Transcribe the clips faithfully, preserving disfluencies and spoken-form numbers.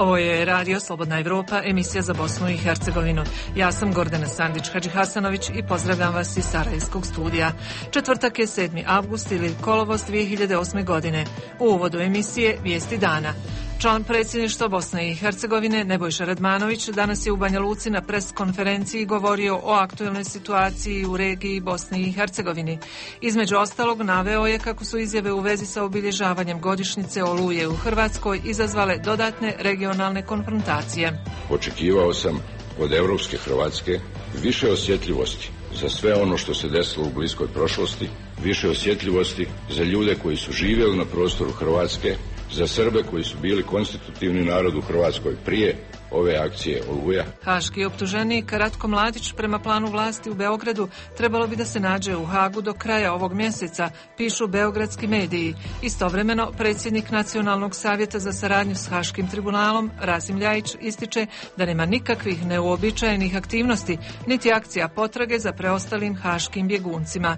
Ovo je Radio Slobodna Evropa, emisija za Bosnu i Hercegovinu. Ja sam Gordana Sandić-Hadžihasanović i pozdravljam vas iz Sarajevskog studija. Četvrtak je sedmi avgust ili kolovoz dvije hiljade osme godine. U uvodu emisije Vijesti dana. Član predsjedništva Bosne i Hercegovine Nebojša Radmanović danas je u Banja Luci na pres konferenciji govorio o aktuelnoj situaciji u regiji Bosne i Hercegovini. Između ostalog naveo je kako su izjave u vezi sa obilježavanjem godišnjice Oluje u Hrvatskoj izazvale dodatne regionalne konfrontacije. Očekivao sam od europske Hrvatske više osjetljivosti za sve ono što se desilo u bliskoj prošlosti, više osjetljivosti za ljude koji su živjeli na prostoru Hrvatske, za Srbe koji su bili konstitutivni narod u Hrvatskoj prije ove akcije Oluja. Haški optuženik Ratko Mladić prema planu vlasti u Beogradu trebalo bi da se nađe u Hagu do kraja ovog mjeseca, pišu beogradski mediji. Istovremeno, predsjednik Nacionalnog savjeta za saradnju s Haškim tribunalom, Rasim Ljajić, ističe da nema nikakvih neuobičajenih aktivnosti, niti akcija potrage za preostalim haškim bjeguncima.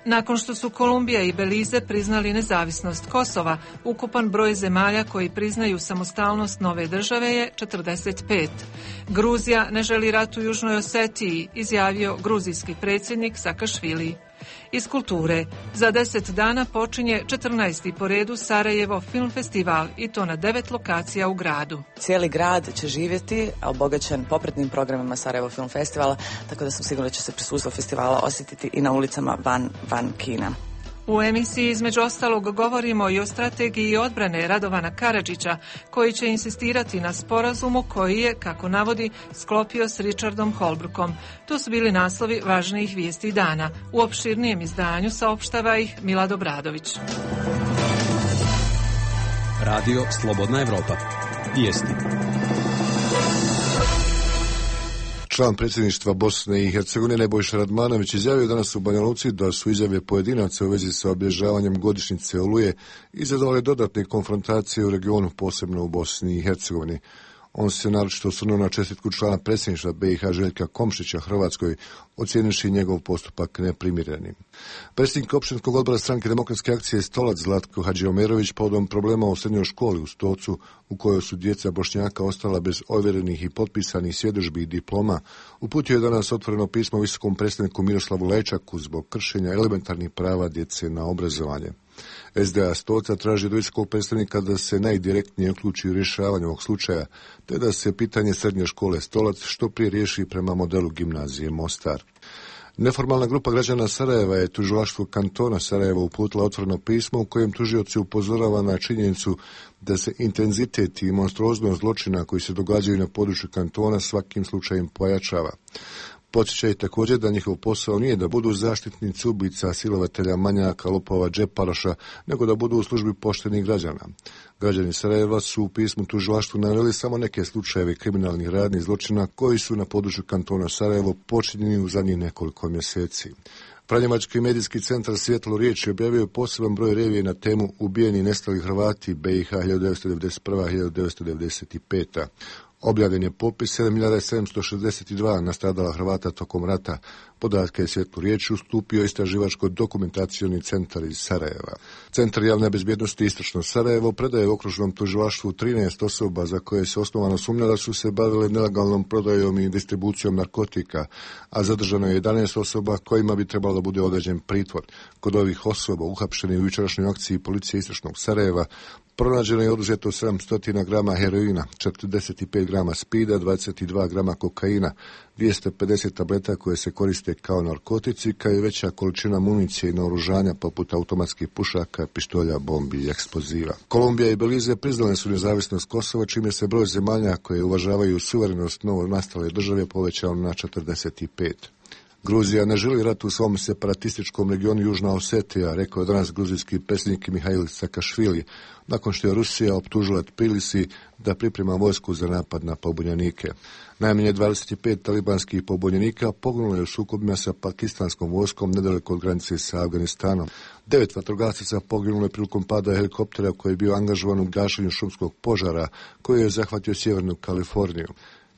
Nakon što su Kolumbija i Belize priznali nezavisnost Kosova, ukupan broj zemalja koji priznaju samostalnost nove države je četrdeset pet. Gruzija ne želi rat u Južnoj Osetiji, izjavio gruzijski predsjednik Sakašvili. Iz kulture, za deset dana počinje četrnaesti po redu Sarajevo film festival i to na devet lokacija u gradu. Cijeli grad će živjeti, obogaćen popratnim programima Sarajevo film festivala, tako da sam sigurna da će se prisustvo festivala osjetiti i na ulicama van, van kina. U emisiji između ostalog govorimo i o strategiji odbrane Radovana Karadžića, koji će insistirati na sporazumu koji je, kako navodi, sklopio s Richardom Holbrookom. To su bili naslovi važnijih vijesti dana. U opširnijem izdanju saopštava ih Milad Obradović. Radio Slobodna Evropa. Vijesti. Član predsjedništva Bosne i Hercegovine Nebojša Radmanović izjavio danas u Banja Luci da su izjave pojedinaca u vezi sa obilježavanjem godišnjice Oluje izazvale dodatne konfrontacije u regionu, posebno u Bosni i Hercegovini. On se naročito osvrnuo na čestitku člana predsjedništva B i H Željka Komšića Hrvatskoj, ocijenivši njegov postupak neprimjerenim. Predsjednik općinskog odbora stranke Demokratske akcije Stolac Zlatko Hadžiomerović povodom problema u srednjoj školi u Stocu, u kojoj su djeca Bošnjaka ostala bez ovjerenih i potpisanih svjedodžbi i diploma, uputio je danas otvoreno pismo visokom predstavniku Miroslavu Lečaku zbog kršenja elementarnih prava djece na obrazovanje. S D A Stoca traži od visokog predstavnika da se najdirektnije uključi u rješavanje ovog slučaja, te da se pitanje srednje škole Stolac što prije riješi prema modelu gimnazije Mostar. Neformalna grupa građana Sarajeva je tužilaštvu kantona Sarajeva uputila otvoreno pismo u kojem tužioci upozorava na činjenicu da se intenzitet i monstruoznost zločina koji se događaju na području kantona svakim slučajem pojačava. Podsjećaju također da njihov posao nije da budu zaštitnici ubica, silovatelja, manjaka, lopova, džeparoša, nego da budu u službi poštenih građana. Građani Sarajeva su u pismu tužilaštvu naveli samo neke slučajeve kriminalnih radnji i zločina koji su na području kantona Sarajevo počinjeni u zadnjih nekoliko mjeseci. Franjevački medijski centar Svjetlo riječi objavio poseban broj revije na temu ubijeni i nestali Hrvati B i H hiljadu devetsto devedeset prva do hiljadu devetsto devedeset peta. Objavljen je popis sedam hiljada sedamsto šezdeset dva nastradala Hrvata tokom rata. Podatke je Svjetlu riječi ustupio istraživačko-dokumentacioni centar iz Sarajeva. Centar javne bezbjednosti Istočno Sarajevo predaje okružnom tužilaštvu trinaest osoba za koje se osnovano sumnja da su se bavile nelegalnom prodajom i distribucijom narkotika, a zadržano je jedanaest osoba kojima bi trebalo da bude određen pritvor. Kod ovih osoba uhapšenih u jučerašnjoj akciji policije Istočnog Sarajeva pronađeno je oduzeto sedamsto grama heroina, četrdeset pet grama spida, dvadeset dva grama kokaina, dvjesto pedeset tableta koje se koriste kao narkotici, kao i veća količina municije i naoružanja poput automatskih pušaka, pištolja, bombi i eksploziva. Kolumbija i Belize priznale su nezavisnost Kosova, čime se broj zemalja koje uvažavaju suverenost novo nastale države povećao na četrdeset pet. Gruzija ne želi rat u svom separatističkom regionu Južna Osetija, rekao je danas gruzijski predsjednik Mihail Sakašvili, nakon što je Rusija optužila Tbilisi da priprema vojsku za napad na pobunjenike. Najmanje dvadeset pet talibanskih pobunjenika poginulo je u sukobima sa pakistanskom vojskom nedaleko od granice sa Afganistanom. Devet vatrogasaca poginulo je prilikom pada helikoptera koji je bio angažovan u gašenju šumskog požara koji je zahvatio sjevernu Kaliforniju.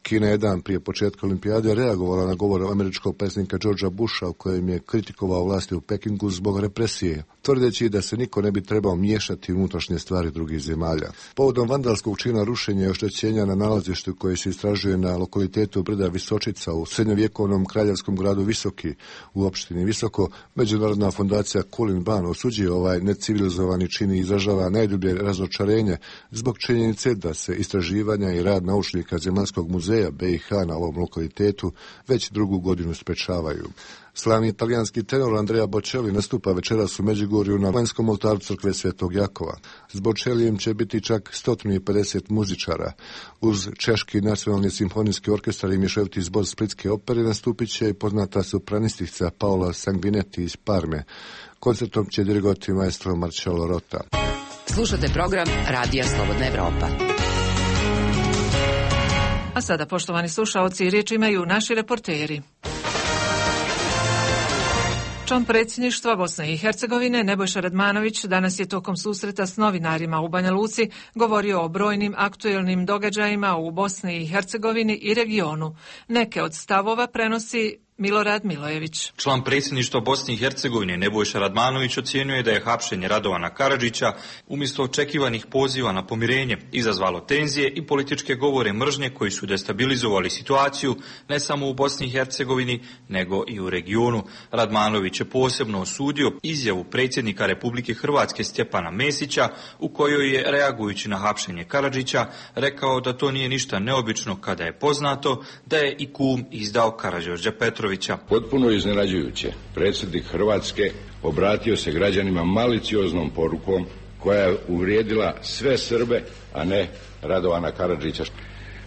Kina je dan prije početka olimpijade reagovala na govor američkog predsjednika Georgea Busha u kojem je kritikovao vlasti u Pekingu zbog represije, tvrdeći da se niko ne bi trebao miješati u unutrašnje stvari drugih zemalja. Povodom vandalskog čina rušenja i oštećenja na nalazištu koje se istražuje na lokalitetu brda Visočica u srednjovjekovnom kraljevskom gradu Visoki u opštini Visoko, Međunarodna fondacija Kulin Ban osuđuje ovaj necivilizovani čin i izražava najdublje razočarenje zbog činjenice da se istraživanja i rad naučnika Zemaljskog muzeja B i H na ovom lokalitetu već drugu godinu sprečavaju. Slavni italijanski tenor Andrea Bocelli nastupa večeras u Međugorju na vanjskom oltaru crkve Svetog Jakova. S Bocellijem će biti čak sto pedeset muzičara. Uz Češki nacionalni simfonijski orkestar i mješoviti zbor Splitske opere nastupit će i poznata sopranistica Paola Sanguinetti iz Parme. Koncertom će dirigovati maestro Marcello Rota. Slušate program Radija Slobodna Evropa. A sada, poštovani slušaoci, riječ imaju naši reporteri. Član predsjedništva Bosne i Hercegovine Nebojša Radmanović danas je tokom susreta s novinarima u Banja Luci govorio o brojnim aktuelnim događajima u Bosni i Hercegovini i regionu. Neke od stavova prenosi Milorad Milojević. Član predsjedništva Bosne i Hercegovine Nebojša Radmanović ocijenjuje da je hapšenje Radovana Karadžića umjesto očekivanih poziva na pomirenje izazvalo tenzije i političke govore mržnje koji su destabilizovali situaciju ne samo u Bosni i Hercegovini nego i u regionu. Radmanović je posebno osudio izjavu predsjednika Republike Hrvatske Stjepana Mesića u kojoj je, reagujući na hapšenje Karadžića, rekao da to nije ništa neobično kada je poznato da je i kum izdao Karađorđa Petrovića. Potpuno iznenađujuće, predsjednik Hrvatske obratio se građanima malicioznom porukom koja je uvrijedila sve Srbe, a ne Radovana Karadžića.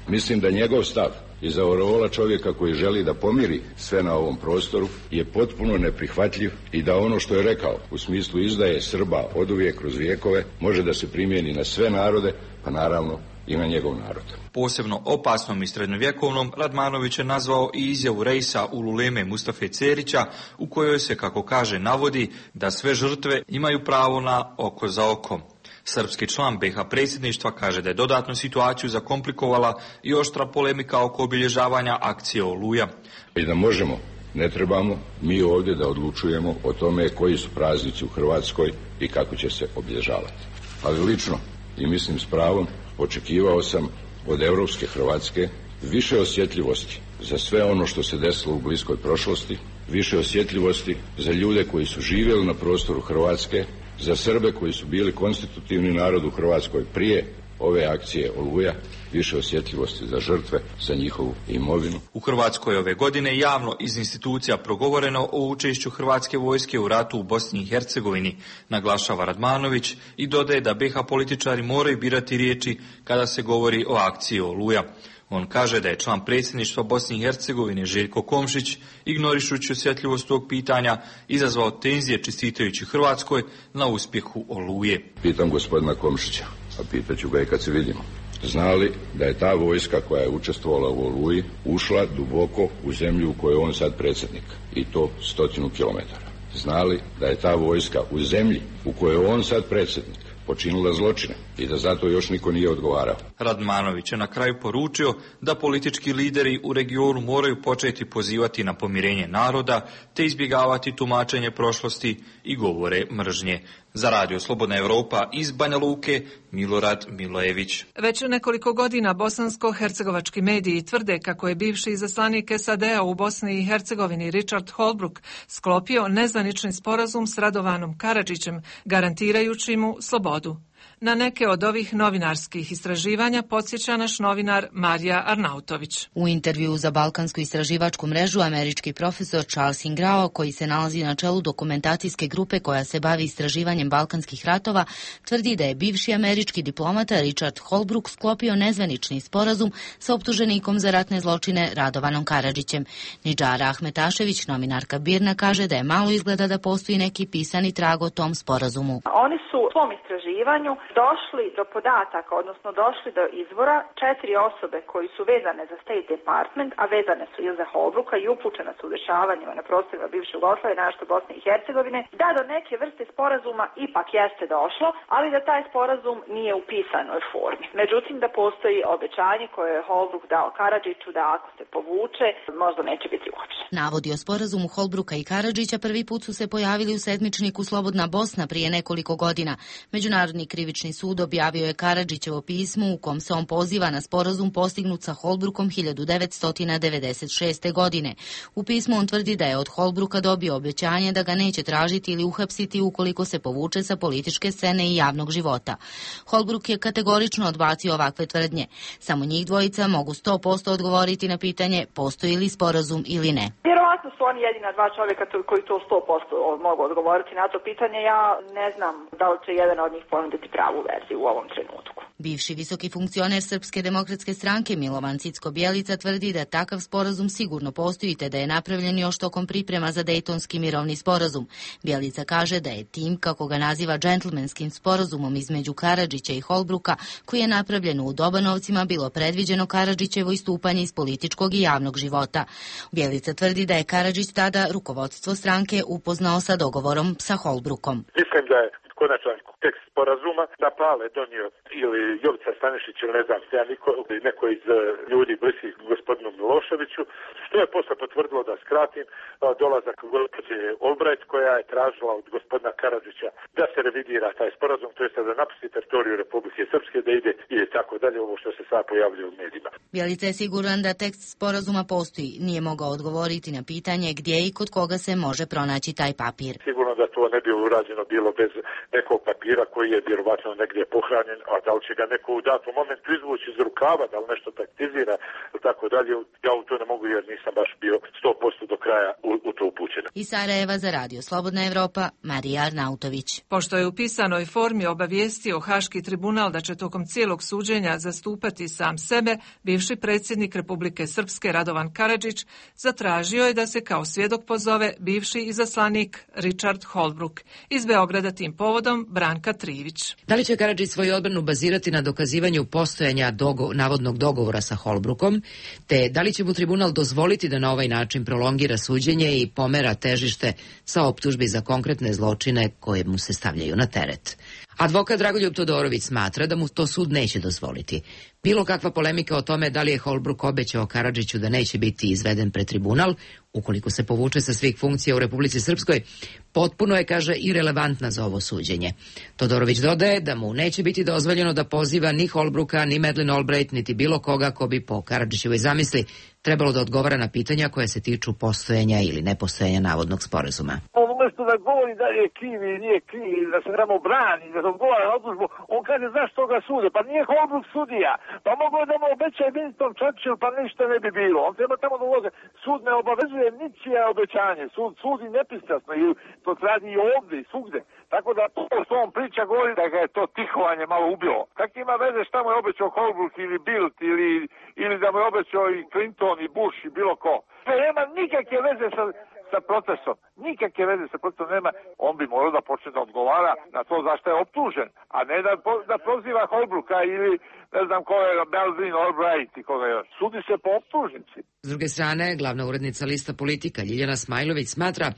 Mislim da njegov stav iz aureola čovjeka koji želi da pomiri sve na ovom prostoru je potpuno neprihvatljiv i da ono što je rekao u smislu izdaje Srba oduvijek kroz vijekove može da se primijeni na sve narode, pa naravno i na njegov narod. Posebno opasnom i srednjovjekovnom Radmanović je nazvao i izjavu Reisa Ululeme Mustafe Cerića u kojoj se, kako kaže, navodi da sve žrtve imaju pravo na oko za oko. Srpski član B H predsjedništva kaže da je dodatnu situaciju zakomplikovala i oštra polemika oko obilježavanja akcije Oluja. I da možemo, ne trebamo mi ovdje da odlučujemo o tome koji su praznici u Hrvatskoj i kako će se obilježavati. Ali lično, i mislim s pravom, očekivao sam od europske Hrvatske više osjetljivosti za sve ono što se desilo u bliskoj prošlosti, više osjetljivosti za ljude koji su živjeli na prostoru Hrvatske, za Srbe koji su bili konstitutivni narod u Hrvatskoj prije ove akcije Oluja, više osjetljivosti za žrtve, za njihovu imovinu. U Hrvatskoj ove godine javno iz institucija progovoreno o učešću hrvatske vojske u ratu u Bosni i Hercegovini, naglašava Radmanović i dodaje da B H političari moraju birati riječi kada se govori o akciji Oluja. On kaže da je član predsjedništva Bosne i Hercegovine Željko Komšić, ignorišući osjetljivost tog pitanja, izazvao tenzije čestitajući Hrvatskoj na uspjehu Oluje. Pitam gospodina Komšića, a pitaću ga i kad se vidimo. Zna li da je ta vojska koja je učestvovala u Oluji ušla duboko u zemlju u kojoj je on sad predsjednik, i to stotinu kilometara? Zna li da je ta vojska u zemlji u kojoj je on sad predsjednik počinila zločine i da zato još niko nije odgovarao? Radmanović je na kraju poručio da politički lideri u regionu moraju početi pozivati na pomirenje naroda te izbjegavati tumačenje prošlosti i govore mržnje. Za Radio Slobodna Evropa iz Banja Luke, Milorad Milojević. Već nekoliko godina bosansko-hercegovački mediji tvrde kako je bivši izaslanik S A D-a u Bosni i Hercegovini Richard Holbrooke sklopio nezvanični sporazum s Radovanom Karadžićem, garantirajući mu slobodu. Na neke od ovih novinarskih istraživanja podsjeća naš novinar Marija Arnautović. U intervju za Balkansku istraživačku mrežu američki profesor Charles Ingrao, koji se nalazi na čelu dokumentacijske grupe koja se bavi istraživanjem balkanskih ratova, tvrdi da je bivši američki diplomata Richard Holbrooke sklopio nezvanični sporazum sa optuženikom za ratne zločine Radovanom Karadžićem. Nidžara Ahmetašević, novinarka Birna, kaže da je malo izgleda da postoji neki pisani trag o tom sporazumu. Oni su svom istraživanju došli do podataka, odnosno došli do izvora četiri osobe koji su vezane za State Department, a vezane su i za Holbrooka i upućena su u dešavanjima na prostorima bivše Jugoslavije, našto Bosne i Hercegovine, da do neke vrste sporazuma ipak jeste došlo, ali da taj sporazum nije u pisanoj formi. Međutim, da postoji obećanje koje je Holbrook dao Karadžiću da ako se povuče, možda neće biti uopće. Navodi o sporazumu Holbrooka i Karadžića prvi put su se pojavili u sedmičniku Slobodna Bosna prije nekoliko godina. Međunarodni krivični sud objavio je Karadžićevo pismo u kom se on poziva na sporazum postignut sa Holbrookom hiljadu devetsto devedeset šeste. godine. U pismu on tvrdi da je od Holbrooka dobio obećanje da ga neće tražiti ili uhapsiti ukoliko se povuče sa političke scene i javnog života. Holbrook je kategorično odbacio ovakve tvrdnje. Samo njih dvojica mogu sto posto odgovoriti na pitanje postoji li sporazum ili ne. Vjerovatno su oni jedina dva čovjeka koji to sto posto mogu odgovoriti na to pitanje. Ja ne znam da li će jedan od njih ponuditi pravu verziju u ovom trenutku. Bivši visoki funkcioner Srpske demokratske stranke Milovan Cicko-Bjelica tvrdi da takav sporazum sigurno postoji te da je napravljen još tokom priprema za Dejtonski mirovni sporazum. Bjelica kaže da je tim, kako ga naziva džentlmenskim sporazumom između Karadžića i Holbrooka, koji je napravljen u Dobanovcima, bilo predviđeno Karadžićevo istupanje iz političkog i javnog života. Bjelica tvrdi da je Karadžić tada rukovodstvo stranke upoznao sa dogovorom sa Holbrookom. Mislim da je konačan tekst sporazuma da Pale donio ili Jovica Stanišić ili ne znam se ja niko, neko iz ljudi bliskih gospodinu Miloševiću, što je posle potvrdilo da skratim dolazak gospođe Albright koja je tražila od gospodina Karadžića da se revidira taj sporazum, to jest da napusti teritoriju Republike Srpske, da ide i tako dalje, ovo što se sad pojavljuje u medijima. Bjelica je siguran da tekst sporazuma postoji, nije mogao odgovoriti na pitanje gdje i kod koga se može pronaći taj papir. Sigurno da to ne bi urađeno bilo bez nekog papira koji je vjerovatno negdje pohranjen, a da li će ga neko u datom momentu izvući iz rukava, da li nešto taktizira ili tako dalje, ja u to ne mogu jer nisam baš bio sto posto do kraja u, u to upućen. Iz Sarajeva za Radio Slobodna Evropa, Marija Arnautović. Pošto je u pisanoj formi obavijestio Haški tribunal da će tokom cijelog suđenja zastupati sam sebe, bivši predsjednik Republike Srpske Radovan Karadžić zatražio je da se kao svjedok pozove bivši izaslanik Richard Holbrooke. Iz Beograda tim povodom Branka Trivić. Da li će Karadžić svoju odbranu bazirati na dokazivanju postojanja dogo, navodnog dogovora sa Holbrookom, te da li će mu tribunal dozvoliti da na ovaj način prolongira suđenje i pomera težište sa optužbi za konkretne zločine koje mu se stavljaju na teret? Advokat Dragoljub Todorović smatra da mu to sud neće dozvoliti. Bilo kakva polemika o tome da li je Holbrook obećao Karadžiću da neće biti izveden pred tribunal, ukoliko se povuče sa svih funkcija u Republici Srpskoj, potpuno je, kaže, irelevantna za ovo suđenje. Todorović dodaje da mu neće biti dozvoljeno da poziva ni Holbrooka, ni Madeleine Albright, niti bilo koga ko bi po Karadžićevoj zamisli trebalo da odgovara na pitanja koja se tiču postojanja ili nepostojanja navodnog sporazuma. Umesto da govori da je kriv i nije kriv, da se trebamo brani, da se odgovara na odlužbu, on kaže zašto ga sude, pa nije Holbrook sudija, pa mogu da mu obećaje Winston Churchill, pa ništa ne bi bilo, on treba tamo da ulože. Sud ne obavezuje ničije obećanje, sud sudi nepristrasno i to radi i ovdje i svugde. Tako da to što on priča govori da ga je to tihovanje malo ubilo. Kak ima veze šta mu je obećao Holbrook ili Bildt ili, ili da mu je obećao i Clinton i Bush i bilo ko. To nema nikakve veze sa, sa procesom. Nikakve veze sa procesom nema. On bi morao da počne da odgovara na to zašto je optužen, a ne da, da proziva Holbrooka ili ne znam ko je Madeleine Albright i koga još. Sudi se po optužnici. S druge strane, glavna urednica Lista Politika Ljiljana Smajlović smatra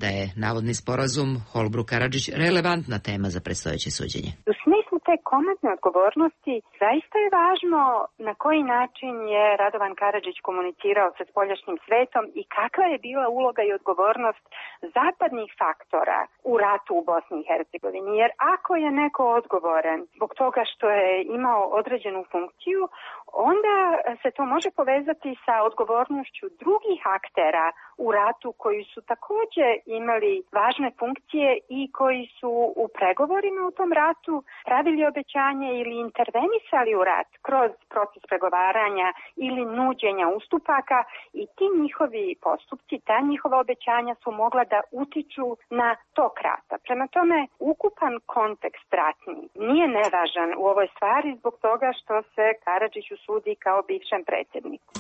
da je navodni sporazum Holbrooke-Karadžić relevantna tema za predstojeće suđenje. U smislu te komentne odgovornosti zaista je važno na koji način je Radovan Karadžić komunicirao sa spoljašnjim svetom i kakva je bila uloga i odgovornost zapadnih faktora u ratu u Bosni i Hercegovini. Jer ako je neko odgovoran zbog toga što je imao određenu funkciju, onda se to može povezati sa odgovornošću drugih aktera u ratu koji su također imali važne funkcije i koji su u pregovorima u tom ratu pravili obećanje ili intervenisali u rat kroz proces pregovaranja ili nuđenja ustupaka i ti njihovi postupci, ta njihova obećanja su mogla da utiču na tok rata. Prema tome, ukupan kontekst ratni nije nevažan u ovoj stvari zbog toga što se Karadžiću sudi kao bivšem predsjedniku.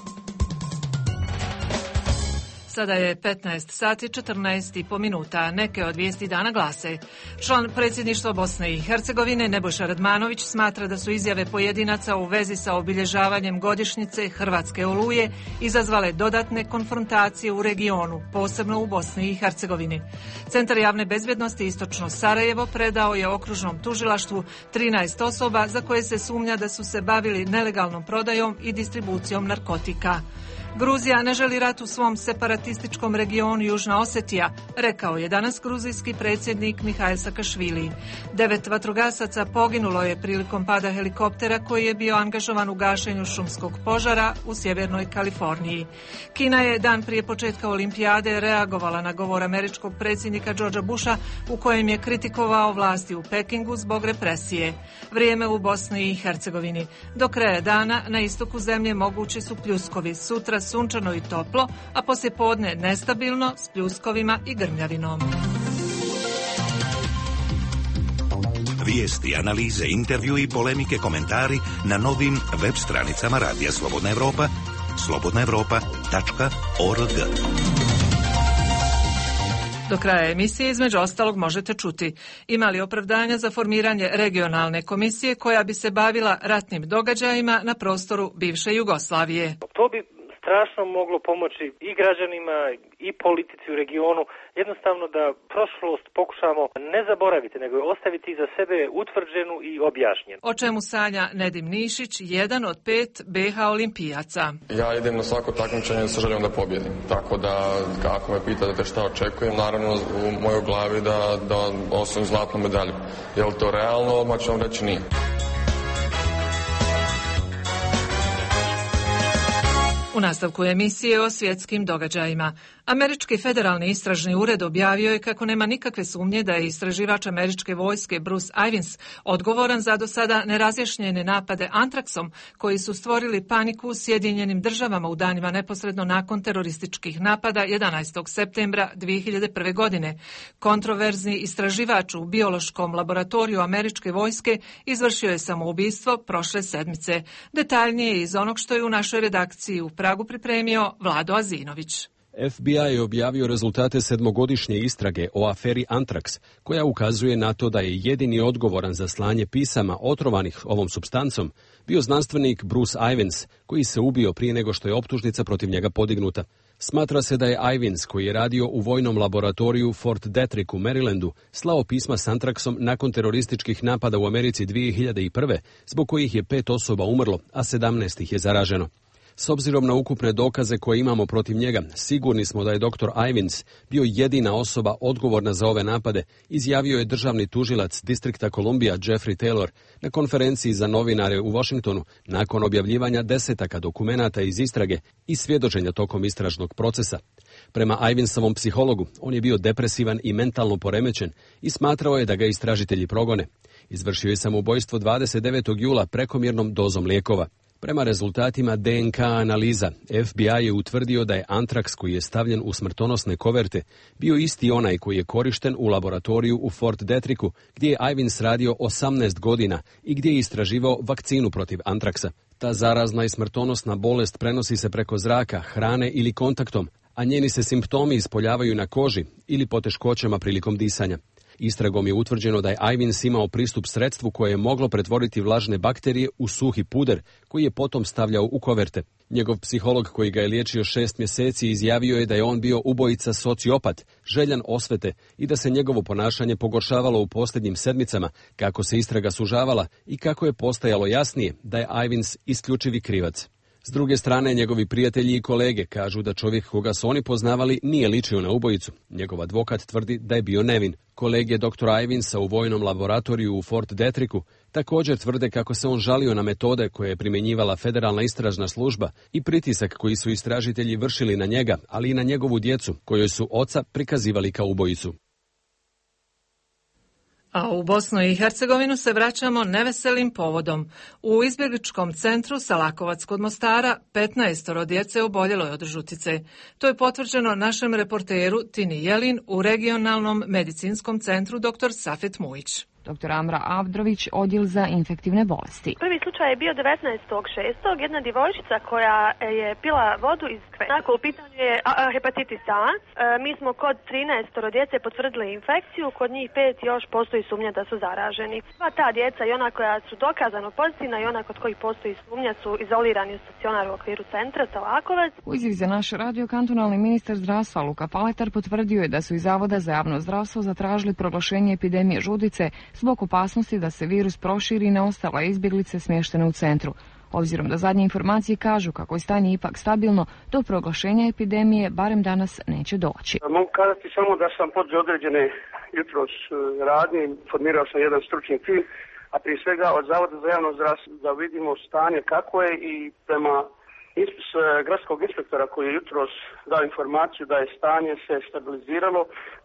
Sada je petnaest sati četrnaest i po minuta. Neke od vijesti dana glase. Član predsjedništva Bosne i Hercegovine Nebojša Radmanović smatra da su izjave pojedinaca u vezi sa obilježavanjem godišnjice Hrvatske oluje izazvale dodatne konfrontacije u regionu, posebno u Bosni i Hercegovini. Centar javne bezbjednosti Istočno Sarajevo predao je okružnom tužilaštvu trinaest osoba za koje se sumnja da su se bavili nelegalnom prodajom i distribucijom narkotika. Gruzija ne želi rat u svom separatističkom regionu Južna Osetija, rekao je danas gruzijski predsjednik Mihail Sakašvili. Devet vatrogasaca poginulo je prilikom pada helikoptera koji je bio angažovan u gašenju šumskog požara u sjevernoj Kaliforniji. Kina je dan prije početka olimpijade reagovala na govor američkog predsjednika Georgea Busha u kojem je kritikovao vlasti u Pekingu zbog represije. Vrijeme u Bosni i Hercegovini. Do kraja dana na istoku zemlje mogući su pljuskovi. Sutra sunčano i toplo, a poslijepodne nestabilno s pljuskovima i grmljavinom. Vijesti, analize, intervju i polemike, komentari na novim web stranicama Radija Slobodna Evropa, slobodna evropa tačka org. Do kraja emisije između ostalog možete čuti: ima li opravdanja za formiranje regionalne komisije koja bi se bavila ratnim događajima na prostoru bivše Jugoslavije? To bi strašno moglo pomoći i građanima i politici u regionu, jednostavno da prošlost pokušamo ne zaboraviti, nego je ostaviti iza sebe utvrđenu i objašnjenu. O čemu sanja Nedim Nišić, jedan od pet be ha olimpijaca. Ja idem na svako takmičenje sa željom da pobjedim, tako da ako me pitate šta očekujem, naravno u mojoj glavi da, da osvojim zlatnu medalju. Je li to realno? Odmah ću vam reći nije. U nastavku emisije o svjetskim događajima. Američki federalni istražni ured objavio je kako nema nikakve sumnje da je istraživač američke vojske Bruce Ivins odgovoran za do sada nerazjašnjene napade antraksom koji su stvorili paniku u Sjedinjenim državama u danima neposredno nakon terorističkih napada jedanaestog septembra dvije hiljade prve. godine. Kontroverzni istraživač u biološkom laboratoriju američke vojske izvršio je samoubistvo prošle sedmice. Detaljnije iz onog što je u našoj redakciji u Pragu pripremio Vlado Azinović. F B I je objavio rezultate sedmogodišnje istrage o aferi Antrax, koja ukazuje na to da je jedini odgovoran za slanje pisama otrovanih ovom supstancom bio znanstvenik Bruce Ivins, koji se ubio prije nego što je optužnica protiv njega podignuta. Smatra se da je Ivins, koji je radio u vojnom laboratoriju Fort Detrick u Marylandu, slao pisma s Antraxom nakon terorističkih napada u Americi dvije hiljade prve, zbog kojih je pet osoba umrlo, a sedamnaest ih je zaraženo. S obzirom na ukupne dokaze koje imamo protiv njega, sigurni smo da je doktor Ivins bio jedina osoba odgovorna za ove napade, izjavio je državni tužilac distrikta Columbia Jeffrey Taylor na konferenciji za novinare u Washingtonu nakon objavljivanja desetaka dokumenata iz istrage i svjedočenja tokom istražnog procesa. Prema Ivinsovom psihologu, on je bio depresivan i mentalno poremećen i smatrao je da ga istražitelji progone. Izvršio je samoubojstvo dvadeset devetog jula prekomjernom dozom lijekova. Prema rezultatima de en ka analiza, F B I je utvrdio da je antraks koji je stavljen u smrtonosne koverte bio isti onaj koji je korišten u laboratoriju u Fort Detricku, gdje je Ivins radio osamnaest godina i gdje je istraživao vakcinu protiv antraksa. Ta zarazna i smrtonosna bolest prenosi se preko zraka, hrane ili kontaktom, a njeni se simptomi ispoljavaju na koži ili poteškoćama prilikom disanja. Istragom je utvrđeno da je Ivins imao pristup sredstvu koje je moglo pretvoriti vlažne bakterije u suhi puder, koji je potom stavljao u koverte. Njegov psiholog koji ga je liječio šest mjeseci izjavio je da je on bio ubojica sociopat, željan osvete i da se njegovo ponašanje pogoršavalo u posljednjim sedmicama, kako se istraga sužavala i kako je postajalo jasnije da je Ivins isključivi krivac. S druge strane, njegovi prijatelji i kolege kažu da čovjek koga su oni poznavali nije ličio na ubojicu. Njegov advokat tvrdi da je bio nevin. Kolege doktora Ivinsa u vojnom laboratoriju u Fort Detricku također tvrde kako se on žalio na metode koje je primjenjivala federalna istražna služba i pritisak koji su istražitelji vršili na njega, ali i na njegovu djecu, kojoj su oca prikazivali kao ubojicu. A u Bosnu i Hercegovinu se vraćamo neveselim povodom. U izbjegličkom centru Salakovac kod Mostara petnaestoro djece oboljelo je od žutice. To je potvrđeno našem reporteru Tini Jelin u regionalnom medicinskom centru dr Safet Mujić. doktor Amra Avdrović, odjel za infektivne bolesti. Prvi slučaj je bio devetnaestog šestog Jedna djevojčica koja je pila vodu iz kvena. U pitanju je hepatitis A. E, mi smo kod trinaest djece potvrdili infekciju, kod njih pet još postoji sumnja da su zaraženi. Sva ta djeca i ona koja su dokazano pozitivna i ona kod kojih postoji sumnja su izolirani u stacionaru u okviru centra Talakovac. U izjavi za naš radio kantonalni ministar zdravstva Luka Paletar potvrdio je da su iz Zavoda za javno zdravstvo zatražili proglašenje epidemije žudice zbog opasnosti da se virus proširi na ostale izbjeglice smještene u centru. Obzirom da zadnje informacije kažu kako je stanje ipak stabilno, do proglašenja epidemije barem danas neće doći. Mogu kazati samo da sam poduzeo određene jutros radnje, formirao sam jedan stručni tim, a prije svega od Zavoda za javno zdravstvo da vidimo stanje kako je i prema s gradskog inspektora koji je jutros dao informaciju da je stanje se stabiliziralo,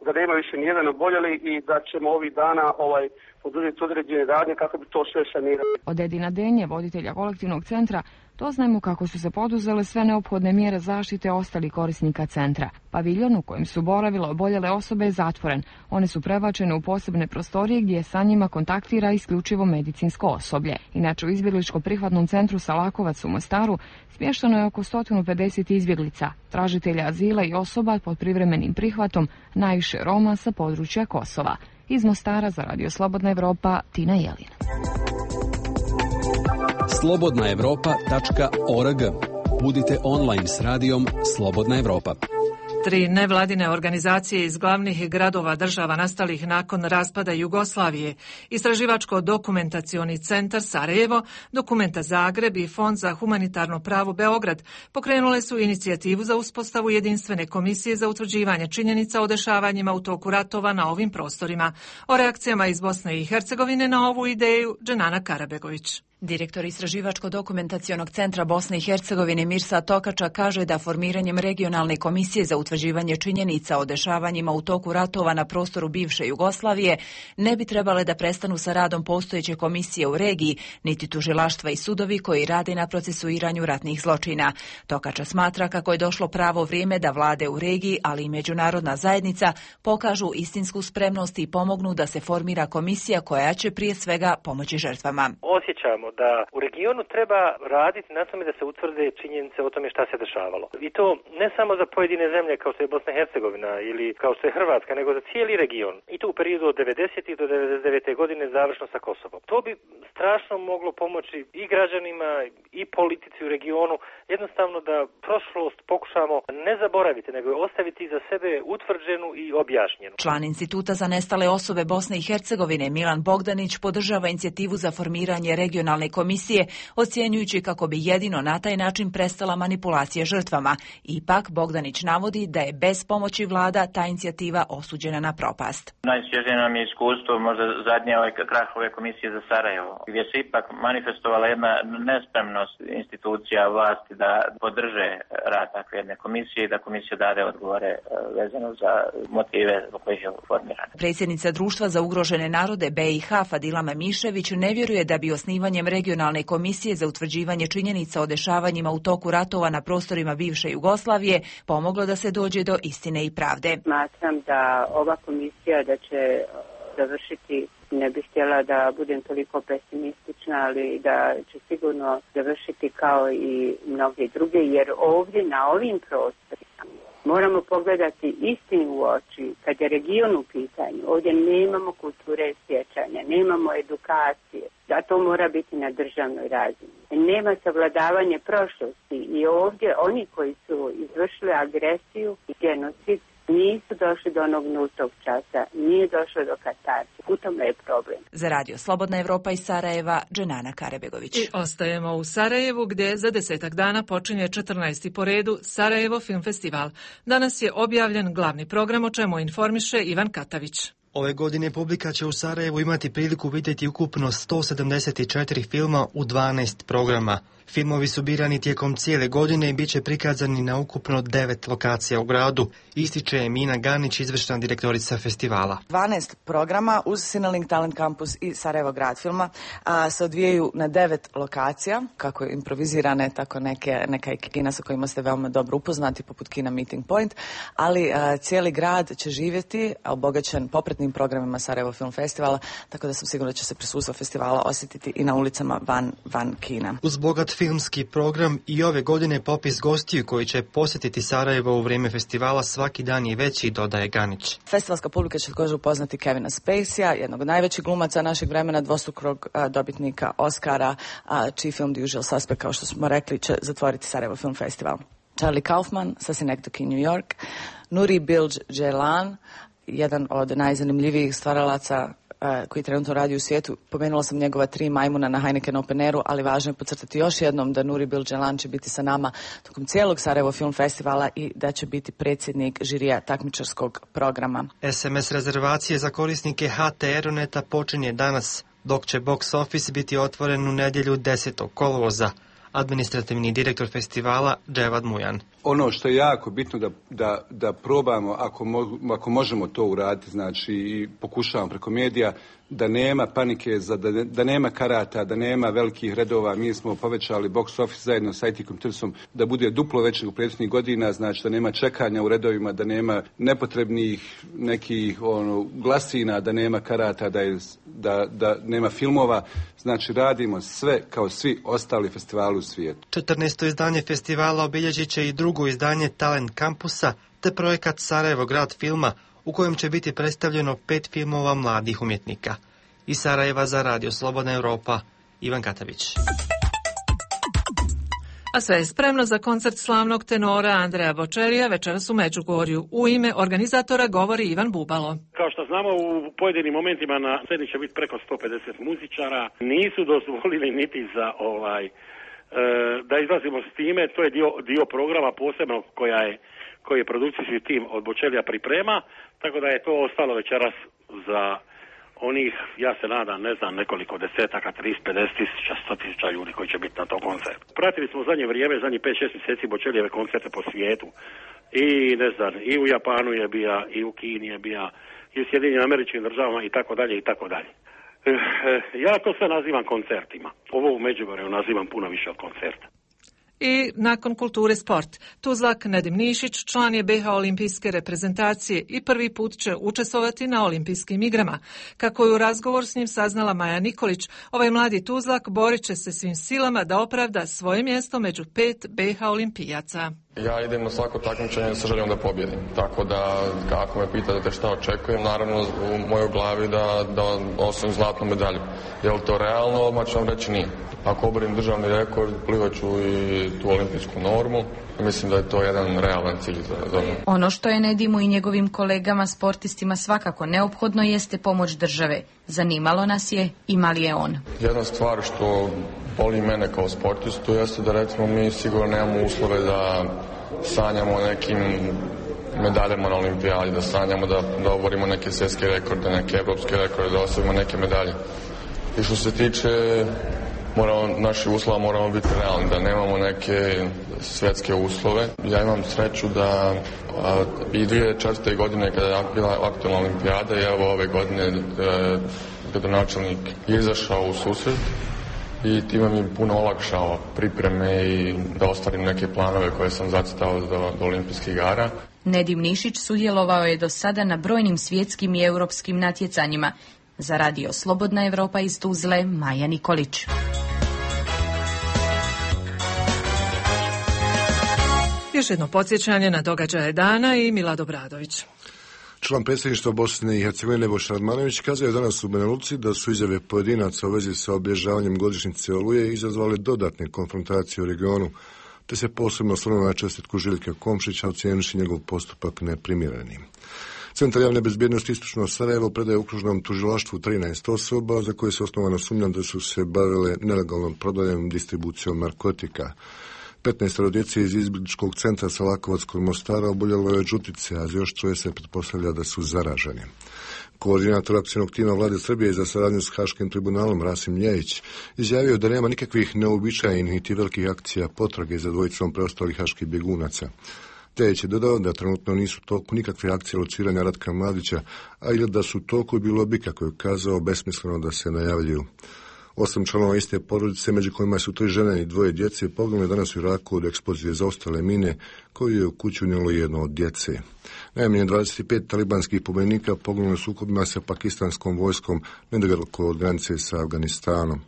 da nema više nijedan oboljeli i da ćemo ovih dana ovaj poduzeti određene radnje kako bi to sve sanirali. Od Edina Denje, voditelja kolektivnog centra, doznajemo kako su se poduzele sve neophodne mjere zaštite ostalih korisnika centra. Paviljon u kojem su boravile oboljele osobe je zatvoren. One su prebačene u posebne prostorije gdje sa njima kontaktira isključivo medicinsko osoblje. Inače u izbjegličko-prihvatnom centru Salakovac u Mostaru smješteno je oko sto pedeset izbjeglica, tražitelja azila i osoba pod privremenim prihvatom, najviše Roma sa područja Kosova. Iz Mostara za Radio Slobodna Evropa, Tina Jelin. slobodna evropa tačka org. Budite online s radijom Slobodna Evropa. Tri nevladine organizacije iz glavnih gradova država nastalih nakon raspada Jugoslavije, Istraživačko-dokumentacioni centar Sarajevo, Dokumenta Zagreb i Fond za humanitarno pravo Beograd pokrenule su inicijativu za uspostavu jedinstvene komisije za utvrđivanje činjenica o dešavanjima u toku ratova na ovim prostorima. O reakcijama iz Bosne i Hercegovine na ovu ideju Dženana Karabegović. Direktor Istraživačko-dokumentacionog centra Bosne i Hercegovine Mirsa Tokača kaže da formiranjem regionalne komisije za utvrđivanje činjenica o dešavanjima u toku ratova na prostoru bivše Jugoslavije ne bi trebale da prestanu sa radom postojeće komisije u regiji, niti tužilaštva i sudovi koji rade na procesuiranju ratnih zločina. Tokača smatra kako je došlo pravo vrijeme da vlade u regiji, ali i međunarodna zajednica pokažu istinsku spremnost i pomognu da se formira komisija koja će prije svega pomoći žrtvama. Osjećamo da u regionu treba raditi na tome da se utvrde činjenice o tome šta se dešavalo. I to ne samo za pojedine zemlje kao što je Bosna i Hercegovina ili kao što je Hrvatska, nego za cijeli region. I to u periodu od devedesetih do devedeset devete godine završno sa Kosovom. To bi strašno moglo pomoći i građanima i politici u regionu, jednostavno da prošlost pokušamo ne zaboraviti, nego je ostaviti za sebe utvrđenu i objašnjenu. Član Instituta za nestale osobe Bosne i Hercegovine Milan Bogdanić podržava inicijativu za formiranje regionalne komisije, ocjenjujući kako bi jedino na taj način prestala manipulacija žrtvama. Ipak, Bogdanić navodi da je bez pomoći vlada ta inicijativa osuđena na propast. Najsvježije nam je iskustvo, možda zadnje ove krah ove komisije za Sarajevo, gdje se ipak manifestovala jedna nespremnost institucija vlasti da podrže rad takve jedne komisije i da komisija dade odgovore vezano za motive zbog kojih je formirana. Predsjednica Društva za ugrožene narode B i H Fadila Mamišević ne vjeruje da bi osnivanjem regionalne komisije za utvrđivanje činjenica o dešavanjima u toku ratova na prostorima bivše Jugoslavije pomoglo da se dođe do istine i pravde. Smatram da ova komisija da će završiti, ne bih htjela da budem toliko pesimistična, ali da će sigurno završiti kao i mnoge druge, jer ovdje na ovim prostorima moramo pogledati istinu u oči. Kad je region u pitanju, ovdje nemamo kulture sjećanja, nemamo edukacije, da to mora biti na državnoj razini. Nema savladavanje prošlosti i ovdje oni koji su izvršili agresiju i genocid nisu došli do onog nultog časa, nije došlo do katarze. U tome je problem. Za Radio Slobodna Evropa iz Sarajeva, Dženana Karabegović. I ostajemo u Sarajevu gdje za desetak dana počinje četrnaesti po redu Sarajevo Film Festival. Danas je objavljen glavni program, o čemu informiše Ivan Katavić. Ove godine publika će u Sarajevu imati priliku vidjeti ukupno sto sedamdeset četiri filma u dvanaest programa. Filmovi su birani tijekom cijele godine i bit će prikazani na ukupno devet lokacija u gradu, ističe Emina Ganić, izvršna direktorica festivala. dvanaest programa uz Sinelink Talent Campus i Sarajevo grad filma a, se odvijaju na devet lokacija, kako improvizirane, tako neke, neka kina sa kojima ste veoma dobro upoznati, poput kina Meeting Point, ali a, cijeli grad će živjeti obogaćen popretnim najpopularnijim programima Sarajevo Film Festivala, tako da sam sigurna da će se prisustvo festivala osjetiti i na ulicama van, van kina. Uz bogat filmski program i ove godine popis gostiju koji će posjetiti Sarajevo u vrijeme festivala svaki dan je veći, dodaje Ganić. Festivalska publika će također upoznati Kevina Spacey-a, jednog od najvećih glumaca našeg vremena, dvostrukog dobitnika Oscara, a čiji film The Usual Suspect, kao što smo rekli, će zatvoriti Sarajevo Film Festival. Charlie Kaufman sa Synecdoche, New York, Nuri Bilge Ceylan, jedan od najzanimljivijih stvaralaca uh, koji trenutno radi u svijetu. Pomenula sam njegova tri majmuna na Heineken Open Airu, ali važno je podcrtati još jednom da Nuri Bilge Ceylan će biti sa nama tokom cijelog Sarajevo Film Festivala i da će biti predsjednik žirija takmičarskog programa. es em es rezervacije za korisnike ha te Aeroneta počinje danas, dok će box office biti otvoren u nedjelju desetog kolovoza. Administrativni direktor festivala Dževad Mujan. Ono što je jako bitno da, da, da probamo, ako, mo, ako možemo to uraditi, znači i pokušavamo preko medija, da nema panike, za, da, da nema karata, da nema velikih redova. Mi smo povećali box office zajedno sa I T Computersom da bude duplo većeg u prethodnih godina, znači da nema čekanja u redovima, da nema nepotrebnih nekih ono, glasina, da nema karata, da, je, da, da nema filmova. Znači radimo sve kao svi ostali festivali u svijetu. četrnaesto izdanje festivala obilježit će i drugo izdanje Talent Kampusa te projekat Sarajevo grad filma u kojem će biti predstavljeno pet filmova mladih umjetnika. Iz Sarajeva za Radio Slobodna Europa, Ivan Katavić. A sve je spremno za koncert slavnog tenora Andreja Bočerija večeras u Međugorju. U ime organizatora govori Ivan Bubalo. Kao što znamo, u pojedinim momentima na sceni će biti preko sto pedeset muzičara. Nisu dozvolili niti za ovaj e, da izlazimo s time. To je dio, dio programa posebno koja je, koji je produkcijski tim od Bočerija priprema. Tako da je to ostalo večeras za onih, ja se nadam, ne znam, nekoliko desetaka, trideset, pedeset tisuća, sto tisuća ljudi koji će biti na tom koncertu. Pratili smo zadnje vrijeme, zadnjih pet šest mjeseci Bočerijeve koncerte po svijetu. I ne znam, i u Japanu je bija, i u Kini je bija, i u Sjedinjenim Američkim Državama i tako dalje i tako dalje. Ja to sve nazivam koncertima. Ovo u Međugorju nazivam puno više od koncerta. I nakon kulture sport. Tuzlak Nedim Nišić član je be ha olimpijske reprezentacije i prvi put će učestvovati na olimpijskim igrama. Kako je u razgovor s njim saznala Maja Nikolić, ovaj mladi Tuzlak borit će se svim silama da opravda svoje mjesto među pet be ha olimpijaca. Ja idem na svako takmičenje sa željom da pobjedim, tako da ako me pitate šta očekujem, naravno u mojoj glavi da, da osvojim zlatnu medalju. Je li to realno? Odmah ću vam reći nije. Ako oborim državni rekord, plivaću i tu olimpijsku normu. Mislim da je to jedan realan cilj za, za mene. Ono što je Nedimu i njegovim kolegama sportistima svakako neophodno jeste pomoć države. Zanimalo nas je ima li je on. Jedna stvar što boli mene kao sportistu jeste da recimo mi sigurno nemamo uslove da sanjamo o nekim medaljama na olimpijadi, da sanjamo da, da oborimo neke svjetske rekorde, neke evropske rekorde, da osvojimo neke medalje. I što se tiče moramo, naši uslova moramo biti realni, da nemamo neke svjetske uslove. Ja imam sreću da a, i dvije tisuće četvrte. godine kada je bila aktualna olimpijada i evo ove godine e, gradonačelnik je izašao u susret i time mi puno olakšao pripreme i da ostvarim neke planove koje sam zacitao do, do olimpijskih igara. Nedim Nišić sudjelovao je do sada na brojnim svjetskim i europskim natjecanjima. Za Radio Slobodna Evropa iz Tuzle, Maja Nikolić. Još jedno podsjećanje na događaje dana i Milad Obradović. Član predsjedništva Bosne i Hercegovine Nebojša Radmanović kazao je danas u Banja Luci da su izjave pojedinaca u vezi sa obilježavanjem godišnjice Oluje izazvale dodatne konfrontacije u regionu, te se posebno osvrnuo na čestitku Željka Komšića, ocijenivši njegov postupak neprimjerenim. Centar javne bezbjednosti Istočno Sarajevo predaje okružnom tužilaštvu trinaest osoba za koje se osnovano sumnja da su se bavile nelegalnom prodajom i distribucijom narkotika. petnaestoro djece iz izbjegličkog centra Salakovac kod Mostara oboljelo je od žutice, a za još troje se pretpostavlja da su zaraženi. Koordinator akcijnog tima Vlade Srbije za saradnju s Haškim tribunalom Rasim Ljejić izjavio da nema nikakvih neobičajenih niti velikih akcija potrage za dvojicom preostalih haških bjegunaca. Ljejić je dodao da trenutno nisu u toku nikakve akcije lociranja Ratka Mladića, a ili da su u toku bilo bi, kako je kazao, besmisleno da se najavljuju. Osam članova iste porodice, među kojima su tri žene i dvoje djece, poginule danas u Iraku od eksplozije zaostale mine koju je u kuću unijelo jedno od djece. Najmanje dvadeset pet talibanskih pobjednika poginulo u sukobima sa pakistanskom vojskom nedaleko od granice sa Afganistanom.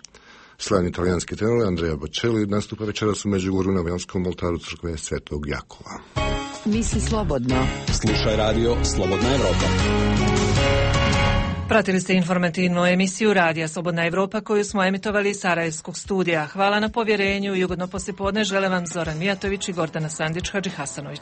Slavni italijanski tenor Andrea Bocelli nastupa večeras u Međugorju na Vajanskom oltaru crkve Svetog Jakova. Misli slobodno. Slušaj radio Slobodna Evropa. Pratili ste informativnu emisiju Radija Slobodna Evropa koju smo emitovali iz Sarajevskog studija. Hvala na povjerenju i ugodno poslijepodne žele vam Zoran Mijatović i Gordana Sandić Hadžihasanović.